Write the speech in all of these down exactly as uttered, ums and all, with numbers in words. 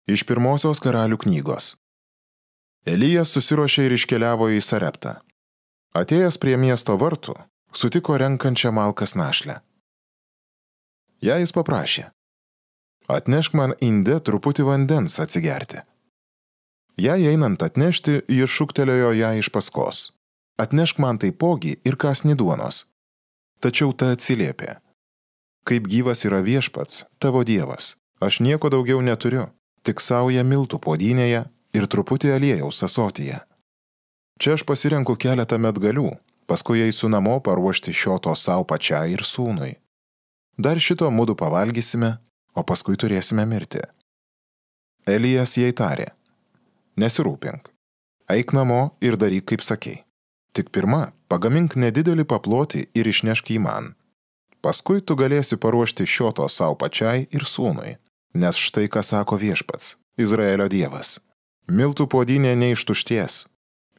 Iš pirmosios Karalių knygos. Elijas susiruošė ir iškeliavo į Sareptą. Atėjęs prie miesto vartų, sutiko renkančią malkas našlę. Ją jis paprašė: atnešk man inde truputį vandens atsigerti. Jai einant atnešti, jis šūktelėjo ją iš paskos: atnešk man taipogi ir kąsnį duonos. Tačiau ta atsiliepė: kaip gyvas yra Viešpats, tavo Dievas, aš nieko daugiau neturiu, tik saują miltų puodynėje ir truputį aliejaus ąsotyje. Čia aš pasirenku keletą medgalių, paskui eisiu namo paruošti šio to sau pačiai ir sūnui. Dar šito mudu pavalgysime, o paskui turėsime mirti. Elijas jai tarė: nesirūpink, eik namo ir daryk kaip sakei. Tik pirma, pagamink nedidelį paplotį ir išnešk jį man. Paskui tu galėsi paruošti šio to sau pačiai ir sūnui, nes štai ką sako Viešpats, Izraelio Dievas: miltų puodynė neištušties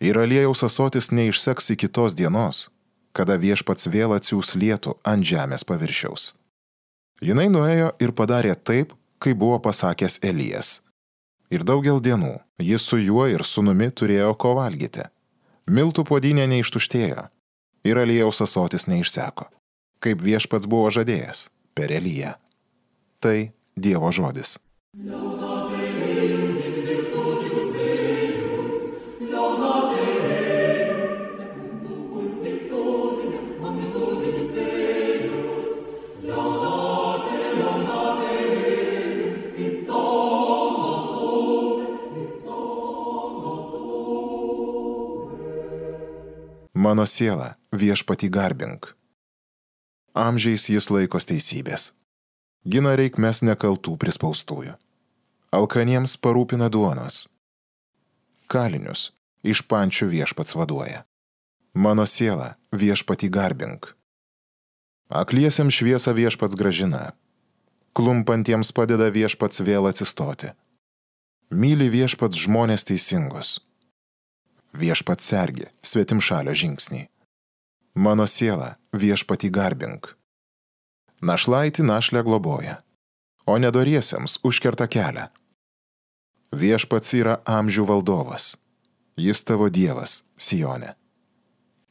ir aliejaus ąsotis neišseks iki tos dienos, kada Viešpats vėl atsiųs lietų ant žemės paviršiaus. Jinai nuėjo ir padarė taip, kaip buvo pasakęs Elijas. Ir daugel dienų jis su juo ir sūnumi turėjo ko valgyti. Miltų puodynė neištuštėjo ir aliejaus ąsotis neišseko, kaip Viešpats buvo žadėjęs per Eliją. Tai Dievo žodis. Mano siela, Viešpatį garbink. Amžiais jis laikos teisybės. Gina reikmes nekaltų prispaustųjų. Alkaniems parūpina duonos. Kalinius iš pančių Viešpats vaduoja. Mano siela, Viešpatį garbink. Akliesiems šviesą Viešpats grąžina. Klumpantiems padeda Viešpats vėl atsistoti. Myli Viešpats žmonės teisingus. Viešpats sergi svetimšalio žingsnį. Mano siela, Viešpatį garbink. Našlaitį našlę globoja, o nedoriesiems užkerta kelią. Viešpats yra amžių valdovas. Jis tavo Dievas, Sione.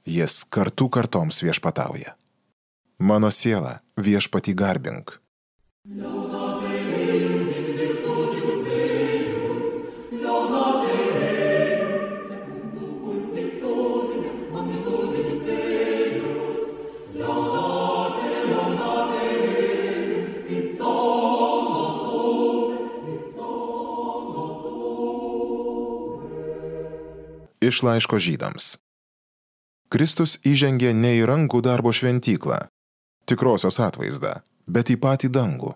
Jis kartų kartoms viešpatauja. Mano siela, Viešpatį garbink. Iš laiško Žydams. Kristus įžengė ne į rankų darbo šventyklą, tikrosios atvaizdą, bet į patį dangų,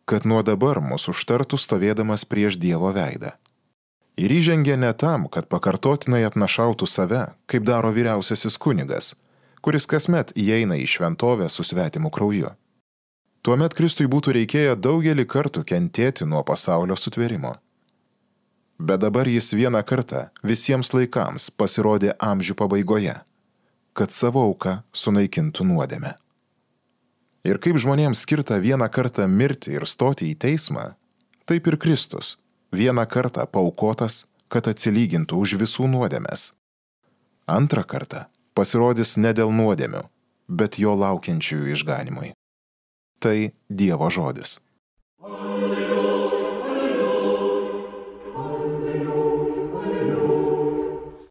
kad nuo dabar mus užtartų stovėdamas prieš Dievo veidą. Ir įžengė ne tam, kad pakartotinai atnašautų save, kaip daro vyriausiasis kunigas, kuris kasmet įeina į šventovę su svetimu krauju. Tuomet Kristui būtų reikėję daugelį kartų kentėti nuo pasaulio sutvėrimo. Bet dabar jis vieną kartą visiems laikams pasirodė amžių pabaigoje, kad savo auką sunaikintų nuodėmę. Ir kaip žmonėms skirta vieną kartą mirti ir stoti į teismą, taip ir Kristus vieną kartą paaukotas, kad atsilygintų už visų nuodėmes. Antrą kartą pasirodys ne dėl nuodėmių, bet jo laukiančiųjų išganimui. Tai Dievo žodis.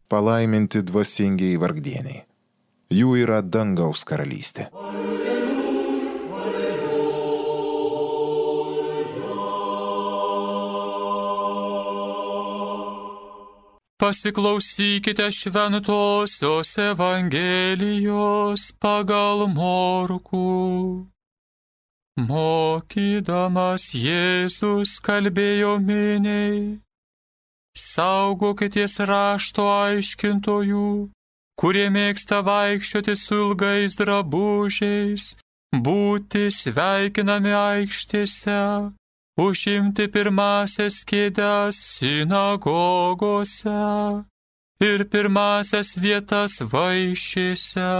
Palaiminti dvasingiai vargdieniai. Jų yra dangaus karalystė. Pasiklausykite šventosios Evangelijos pagal Morkų. Mokydamas Jėzus kalbėjo miniai: saugokitės rašto aiškintojų, kurie mėgsta vaikščioti su ilgais drabužiais, būti sveikinami aikštėse, užimti pirmąsias kėdes sinagogose ir pirmąsias vietas vaišėse.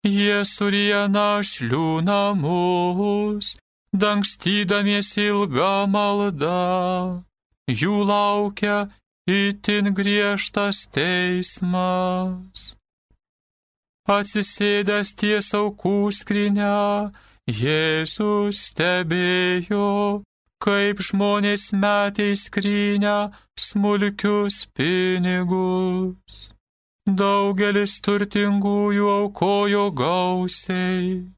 Jie suryja našlių namus, dangstydamiesi ilgą maldą. jų laukia itin griežtas teismas. Atsisėdęs ties aukų skrynia, Jėzus stebėjo, kaip žmonės metė į skrynią smulkius pinigus. Daugelis turtingųjų aukojo gausiai.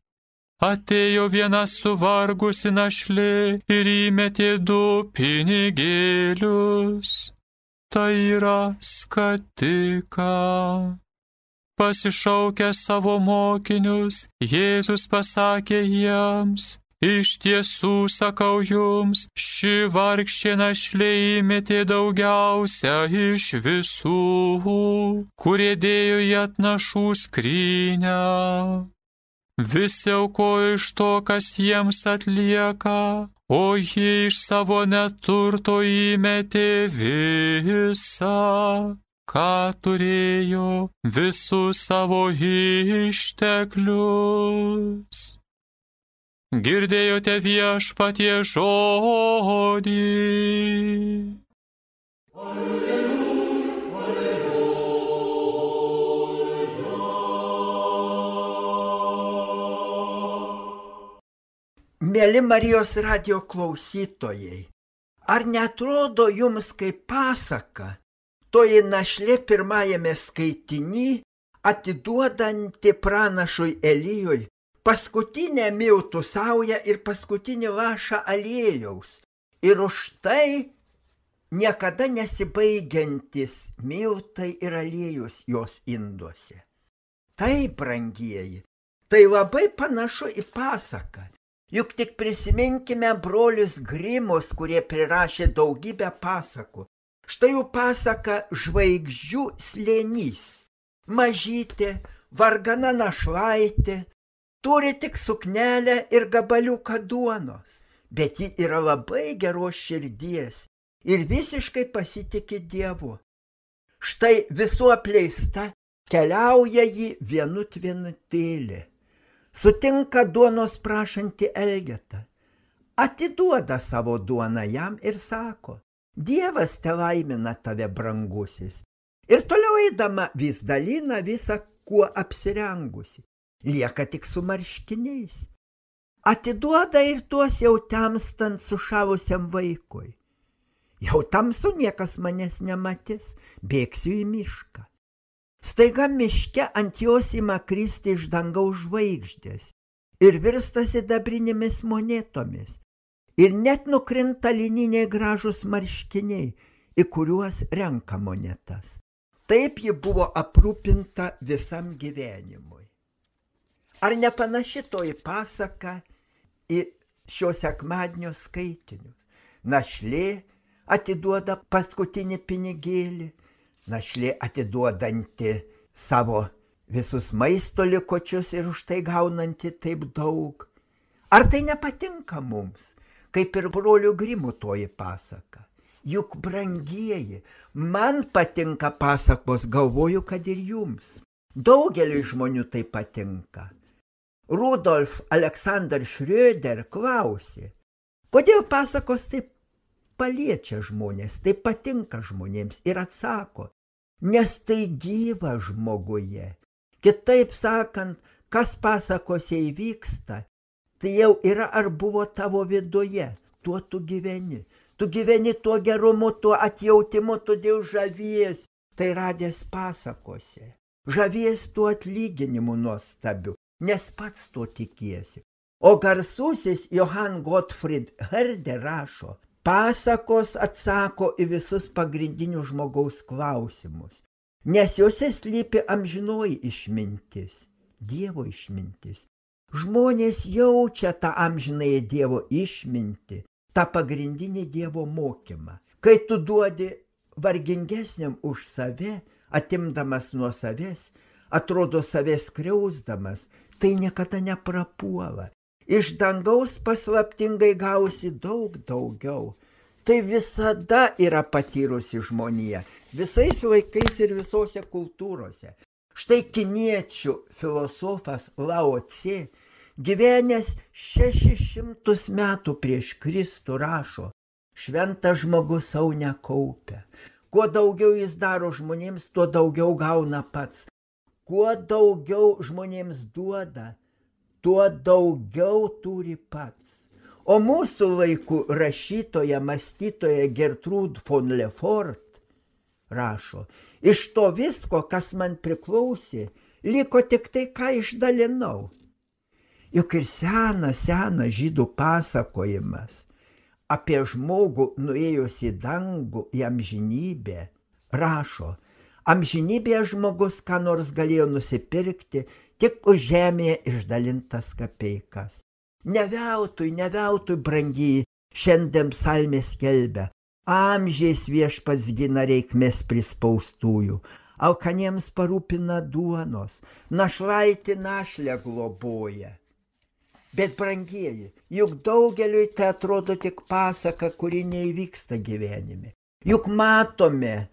Atėjo viena suvargusi našlė ir įmetė du pinigėlius. Tai yra skatika. Pasišaukęs savo mokinius, Jėzus pasakė jiems: iš tiesų sakau jums, ši vargšė našlė įmetė daugiausia iš visų, kurie dėjo į atnašų skrynią. Visi aukojo iš to, kas jiems atlieka, o ji iš savo neturto įmetė visą, ką turėjo, visus savo išteklius. Girdėjote Viešpaties žodį. Alleluja, alleluja. Mėly Marijos radijo klausytojai, ar neatrodo jums kaip pasaka toji našlė pirmajame skaitiny, atiduodanti pranašui Elijui paskutinę miltų saują ir paskutinį lašą aliejaus, ir už tai niekada nesibaigiantis miltai ir aliejus jos induose. Tai, brangieji, tai labai panašu į pasaką. Juk tik prisiminkime brolius Grimus, kurie prirašė daugybę pasakų. Štai jų pasaka Žvaigždžių slėnys. Mažytė, vargana našlaitė, turi tik suknelę ir gabaliuką duonos, bet ji yra labai geros širdies ir visiškai pasitiki Dievu. Štai visų apleista keliauja ji vienut vienutėlė, sutinka duonos prašantį Elgetą, atiduoda savo duoną jam ir sako: Dievas telaimina tave, brangusis. Ir toliau eidama vis dalina visą, kuo apsirengusi. Lieka tik su marškiniais. Atiduoda ir tuos jau temstant sušalusiam vaikui. Jau tamsu, niekas manęs nematys, bėgsiu į mišką. Staiga miške ant jos ima kristi iš dangaus žvaigždės ir virsta sidabrinėmis monetomis. Ir net nukrinta lininiai gražus marškiniai, į kuriuos renka monetas. Taip ji buvo aprūpinta visam gyvenimui. Ar nepanaši toji pasaka į šio sekmadienio skaitinius? Našlė atiduoda paskutinį pinigėlį, našlė atiduodanti savo visus maisto likučius ir už tai gaunanti taip daug. Ar tai nepatinka mums, kaip ir brolių Grimų toji pasaka? Juk, brangieji, man patinka pasakos, galvoju, kad ir jums. Daugeliui žmonių tai patinka. Rudolf Alexander Schröder klausė, kodėl pasakos taip paliečia žmonės, taip patinka žmonėms, ir atsako, nes tai gyva žmoguje. Kitaip sakant, kas pasakose įvyksta, tai jau yra ar buvo tavo viduje, tuo tu gyveni. Tu gyveni tuo gerumu, tuo atjautimu, todėl žavies, tai radęs pasakose. Žavies tuo atlyginimu nuostabiu, nes pats to tikiesi. O garsusis Johann Gottfried Herder rašo, pasakos atsako į visus pagrindinius žmogaus klausimus, nes juose slypi amžinoji išmintis, Dievo išmintis. Žmonės jaučia tą amžinąją Dievo išmintį, tą pagrindinį Dievo mokymą. Kai tu duodi vargingesniam už save, atimdamas nuo savęs, atrodo savęs skriausdamas, tai niekada neprapuola. Iš dangaus paslaptingai gausi daug daugiau. Tai visada yra patyrusi žmonija, visais laikais ir visose kultūrose. Štai kiniečių filosofas Lao Tse, gyvenęs šešis šimtus metų prieš Kristų, rašo, šventas žmogus savo nekaupia. Kuo daugiau jis daro žmonėms, tuo daugiau gauna pats. Kuo daugiau žmonėms duoda, tuo daugiau turi pats. O mūsų laikų rašytoja, mąstytoja Gertrud von Lefort rašo, iš to visko, kas man priklausė, liko tik tai, ką išdalinau. Juk ir senas, senas žydų pasakojimas apie žmogų nuėjus į dangų, į amžinybę, rašo, amžinybėje žmogus ką nors galėjo nusipirkti, tik už žemėje išdalintas kapeikas. Ne veltui, ne veltui, brangiai, šiandien psalmė skelbia, amžiais viešpats gina reikmės prispaustųjų, alkaniems parūpina duonos, našlaitį našlę globoja. Bet, brangieji, juk daugeliui tai atrodo tik pasaka, kuri neįvyksta gyvenime. Juk matome,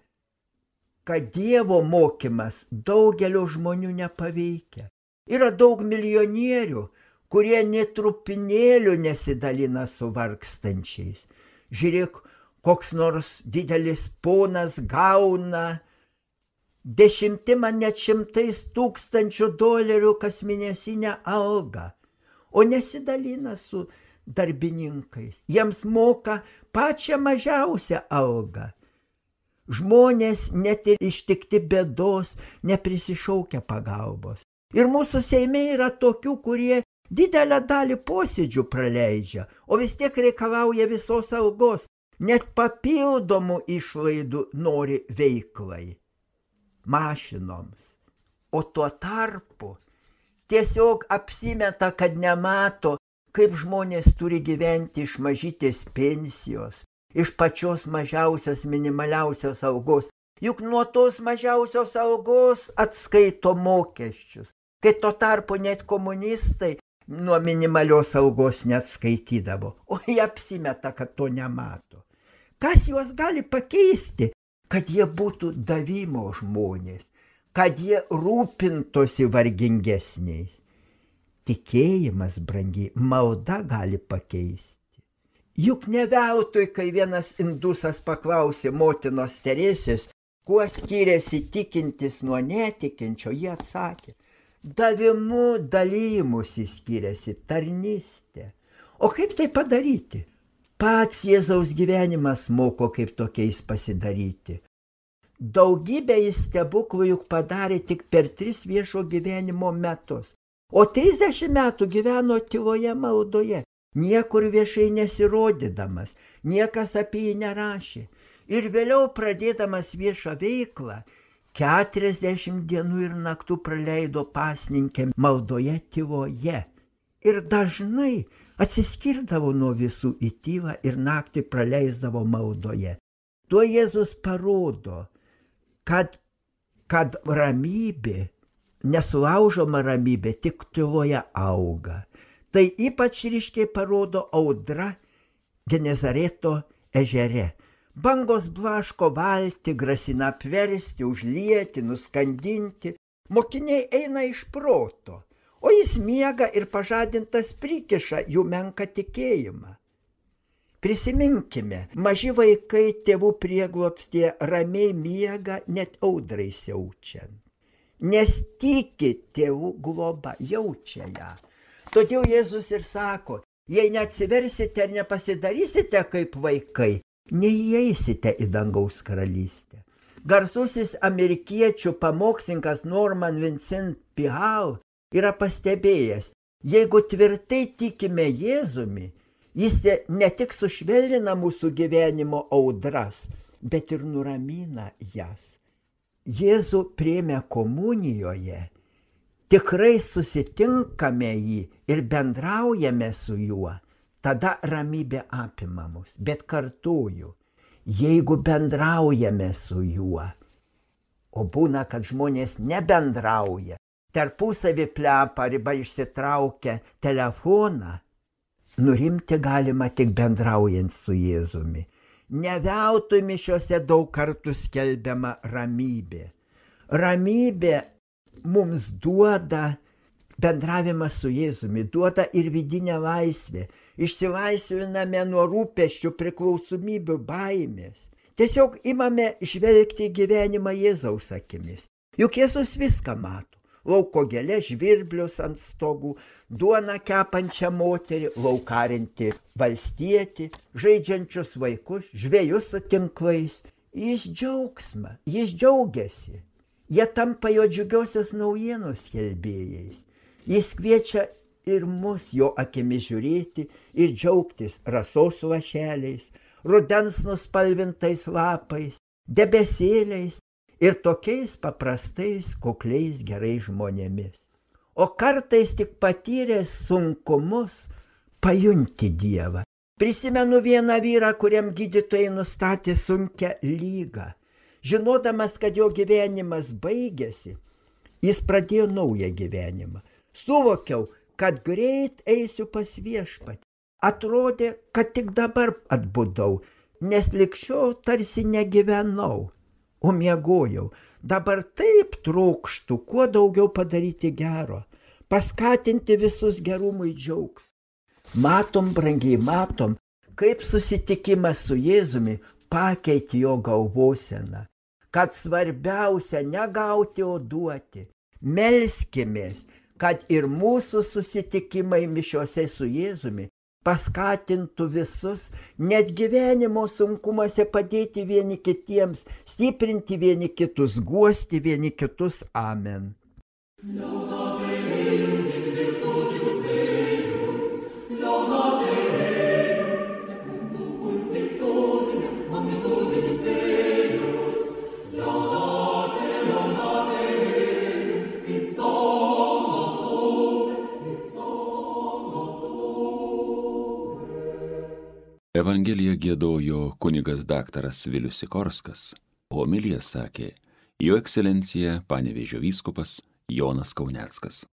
kad Dievo mokymas daugelio žmonių nepaveikia. Yra daug milijonierių, kurie netrupinėlių nesidalina su vargstančiais. Žiūrėk, koks nors didelis ponas gauna dešimtimą net šimtais tūkstančių dolerių kas mėnesinę algą, o nesidalina su darbininkais. Jiems moka pačią mažiausią algą. Žmonės net ir ištikti bėdos neprisišaukia pagalbos. Ir mūsų Seime yra tokių, kurie didelę dalį posėdžių praleidžia, o vis tiek reikalauja visos algos, net papildomų išlaidų nori veiklai, mašinoms. O tuo tarpu tiesiog apsimeta, kad nemato, kaip žmonės turi gyventi iš mažytės pensijos, iš pačios mažiausios minimaliausios algos, juk nuo tos mažiausios algos atskaito mokesčius, kai tuo tarpu net komunistai nuo minimalios algos neatskaitydavo, o jie apsimeta, kad to nemato. Kas juos gali pakeisti, kad jie būtų davimo žmonės, kad jie rūpintosi vargingesniais? Tikėjimas, brangiai, malda gali pakeisti. Juk ne veltui, kai vienas indusas paklausė motinos Teresės, kuo skiriasi tikintis nuo netikinčio, jie atsakė, davimu dalymusi skiriasi tarnystė. O kaip tai padaryti? Pats Jėzaus gyvenimas moko, kaip tokiais pasidaryti. Daugybę jis stebuklų juk padarė tik per tris viešo gyvenimo metus, o trisdešimt metų gyveno tyloje maldoje, niekur viešai nesirodydamas, niekas apie jį nerašė. Ir vėliau pradėdamas viešą veiklą, keturiasdešimt dienų ir naktų praleido pasninkė maldoje tyloje. Ir dažnai atsiskirdavo nuo visų į tylą ir naktį praleisdavo maldoje. Tuo Jėzus parodo, kad, kad ramybė, nesulaužoma ramybė, tik tyloje auga. Tai ypač ryškiai parodo audra Genezareto ežere. Bangos blaško valtį, grasina apversti, užlieti, nuskandinti. Mokiniai eina iš proto, o jis miega ir pažadintas prikiša jų menką tikėjimą. Prisiminkime, maži vaikai tėvų prieglobstyje ramiai miega net audrai siaučiant. Nes tiki tėvų globa, jaučia ją. Todėl Jėzus ir sako, jei neatsiversite ir nepasidarysite kaip vaikai, neįeisite į dangaus karalystę. Garsusis amerikiečių pamokslininkas Norman Vincent Peale yra pastebėjęs, jeigu tvirtai tikime Jėzumi, jis ne tik sušvelnina mūsų gyvenimo audras, bet ir nuramina jas. Jėzų priėmė komunijoje, tikrai susitinkame jį ir bendraujame su juo. Tada ramybė apima mus, bet kartuoju, jeigu bendraujame su juo, o būna, kad žmonės nebendrauja, tarpusavį plepa arba išsitraukia telefoną, nurimti galima tik bendraujant su Jėzumi. Ne veltui mišiose daug kartų skelbiama ramybė. Ramybė mums duoda bendravimas su Jėzumi, duoda ir vidinę laisvę. išsilaisviname nuo rūpesčių, priklausomybių, baimės. Tiesiog imame žvelgti gyvenimą Jėzaus akimis. Juk Jėzus viską mato. Lauko gėlė, žvirblius ant stogų, duoną kepančią moterį, laukarinti valstietį, žaidžiančius vaikus, žvejus su tinklais. Jis džiaugsmą, jis džiaugiasi. Jie tampa jo džiugiosios naujienos skelbėjais. Jis kviečia ir mus jo akimis žiūrėti ir džiaugtis rasos lašeliais, rudens nuspalvintais lapais, debesėliais ir tokiais paprastais, kukliais, gerais žmonėmis. O kartais tik patyręs sunkumus pajunti Dievą. Prisimenu vieną vyrą, kuriam gydytojai nustatė sunkią lygą. Žinodamas, kad jo gyvenimas baigėsi, jis pradėjo naują gyvenimą. Suvokiau, kad greit eisiu pas Viešpatį. Atrodė, kad tik dabar atbudau, nes likščiau tarsi negyvenau, o miegojau. Dabar taip trokštu, kuo daugiau padaryti gero, paskatinti visus gerumui džiaugsmą. Matom, brangiai matom, kaip susitikimas su Jėzumi pakeitė jo galvoseną, kad svarbiausia negauti, o duoti. Melskimės, kad ir mūsų susitikimai mišiose su Jėzumi paskatintų visus, net gyvenimo sunkumuose padėti vieni kitiems, stiprinti vieni kitus, guosti vieni kitus. Amen. Evangeliją giedojo kunigas daktaras Vilius Sikorskas, homiliją sakė jo ekscelencija Panevėžio vyskupas Jonas Kauneckas.